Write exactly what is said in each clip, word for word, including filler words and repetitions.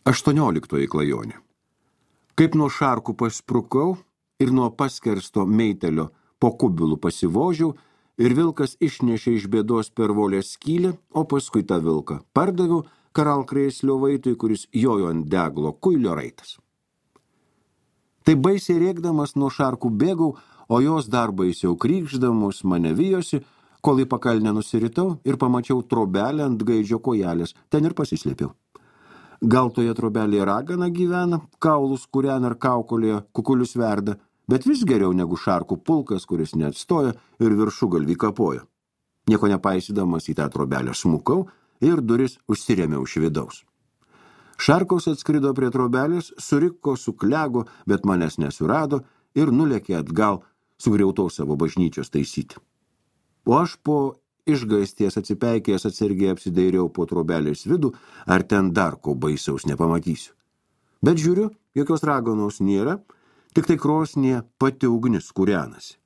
Aštuonioliktoji klajonė. Kaip nuo šarkų pasprukau ir nuo paskersto meitelio po kubilų pasivožiau, ir vilkas išnešė iš bėdos per volės skylę, o paskui tą vilką pardaviau karalkrėslio vaitui, kuris jojo ant deglo kuilio raitas. Tai baisiai rėkdamas nuo šarkų bėgau, o jos dar baisiau krykšdamus mane vijosi, kol į pakalnę nusiritau ir pamačiau trobelę ant gaidžio kojelės, ten ir pasislėpiau. Gal toje trobelėje ragana gyvena, kaulus kūrena ar kaukolėje kukulius verda, bet vis geriau negu šarkų pulkas, kuris neatstoja ir viršugalvį kapoja. Nieko nepaisydamas į tą trobelę smukau ir duris užsirėmiau iš vidaus. Šarkos atskrido prie trobelės, suriko, suklego, bet manęs nesurado ir nulėkė atgal sugriautos savo bažnyčios taisyti. O aš po išgaisties atsipeikėjęs atsargiai apsidairiau po trobelės vidų, ar ten dar ko baisaus nepamatysiu. Bet žiūriu, jokios raganos nėra, tik tai krosnyje pati ugnis kūrenasi.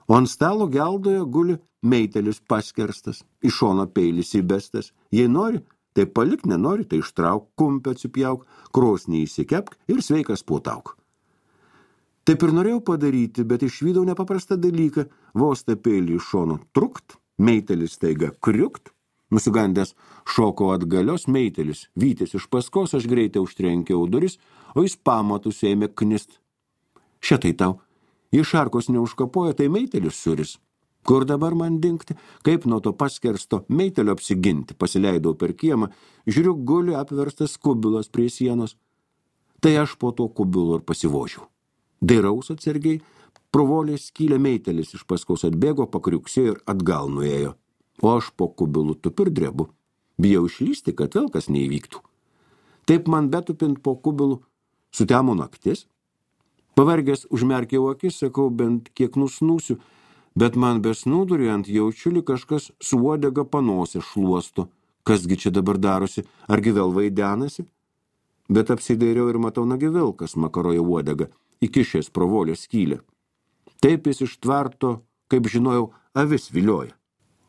O ant stalo geldoje guli meitelis paskerstas, iš šono peilis įbestas. Jei nori, tai palik, nenori, tai ištrauk, kumpę atsipjauk, krosnį įsikepk ir sveikas puotauk. Taip ir norėjau padaryti, bet išvydau nepaprastą dalyką, vos tą peilį iš šono trukt, meitelis staiga kriukt, nusigandęs šoko atgalios meitelis, vytis iš paskos, aš greitai užtrenkiau duris, o jis pamatus ėmė knist. Šitai tau, jei šarkos neužkapoja, tai meitelis suris. Kur dabar man dingti, kaip nuo to paskersto meitelio apsiginti, pasileidau per kiemą, žiūriu, guli apverstas kubilas prie sienos. Tai aš po to kubilo ir pasivožiau. Dairaus atsargiai, pro volės skylę meitelis iš paskos atbėgo, pakriuksėjo ir atgal nuėjo. O aš po kubilų tupiu ir drebu. Bijau išlysti, kad vėl kas neįvyktų. Taip man betupint po kubilų sutemo naktis. Pavargęs užmerkiau akis, sakau, bent kiek nusnūsiu, bet man besnūduriant jaučiu, lyg kažkas su uodega panosę šluosto. Kasgi čia dabar darosi, argi vėl vaidenasi? Bet apsidairiau ir matau, nagi vilkas makaroja uodega, įkišęs pro volės skylę. Taip jis iš tvarto, kaip žinojau, avis vilioja.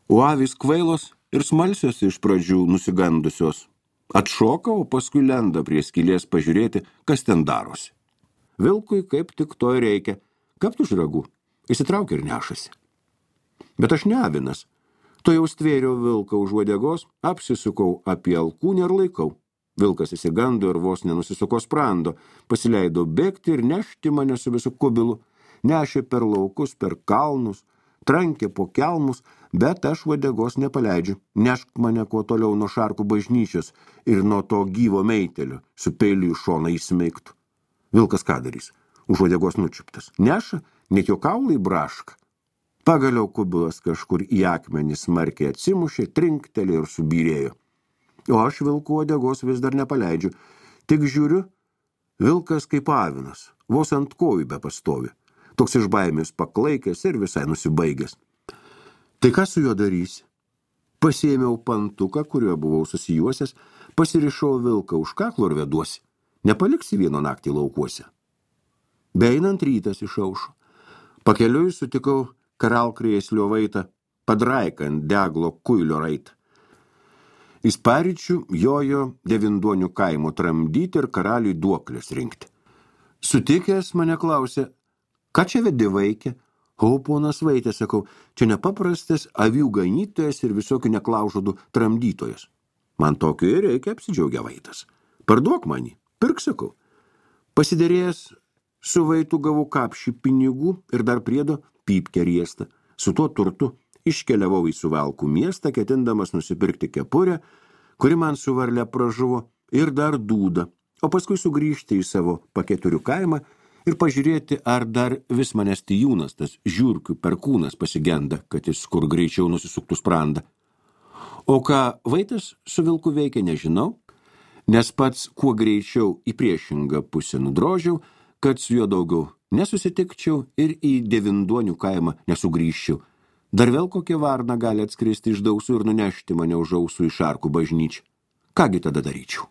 O avis kvailos ir smalsios iš pradžių nusigandusios. Atšoka, o paskui lenda prie skylės pažiūrėti, kas ten darosi. Vilkui kaip tik to ir reikia, kapt už ragų, įsitraukia ir nešasi. Bet aš ne avinas. To jau stvėriau vilką už uodegos, apsisukau apie alkūnę ir laikau. Vilkas įsigando ir vos nenusisuko sprando, pasileido bėgti ir nešti mane su visu kubilu. Nešė per laukus, per kalnus, trankė po kelmus, bet aš uodegos nepaleidžiu. Nešk mane kuo toliau nuo šarkų bažnyčios ir nuo to gyvo meitelio, su peiliu į šoną įsmeigtų. Vilkas ką darys? Už uodegos nučiuptas. Neša, net jo kaulai braška. Pagaliau kubilas kažkur į akmenį smarkiai atsimušė, trinktelė ir subyrėjo. O aš vilkų uodegos vis dar nepaleidžiu. Tik žiūriu, vilkas kaip avinas, vos ant kojų be pastovi. Toks iš baimės paklaikęs ir visai nusibaigęs. Tai ką su juo darysi? Pasiėmiau pantuką, kuriuo buvau susijuosęs, pasirišau vilką už kaklo ir veduosi. Nepaliksi vieno naktį laukuose. Beeinant rytas išaušo. Pakeliui sutikau karalkrėslio vaitą, padraiką ant deglo kuilio raitą. Jis paryčių jojo Devinduonių kaimo tramdyti ir karaliui duoklės rinkti. Sutikęs mane klausė, ką čia vedi vaikė? O, ponas vaitė, sakau, čia nepaprastas avių ganytojas ir visokių neklaužodų tramdytojas. Man tokio ir reikia, apsidžiaugia vaitas. Parduok manį, pirk, sakau. Pasiderėjęs su vaitu gavau kapšį pinigų ir dar priedo pypkę riestą. Su tuo turtu iškeliavau į Suvalkų miestą, ketindamas nusipirkti kepurę, kuri man su varle pražuvo, ir dar dūdą, o paskui sugrįžti į savo paketurių kaimą ir pažiūrėti, ar dar vis manęs tijūnas, tas žiurkių perkūnas pasigenda, kad jis kur greičiau nusisuktų sprandą. O ką vaitas su vilku veikia, nežinau, nes pats kuo greičiau į priešingą pusę nudrožiau, kad su juo daugiau nesusitikčiau ir į Devinduonių kaimą nesugrįžčiau. Dar vėl kokia varna gali atskristi iš dausų ir nunešti mane už ausų į šarkų bažnyčią. Kągi tada daryčiau?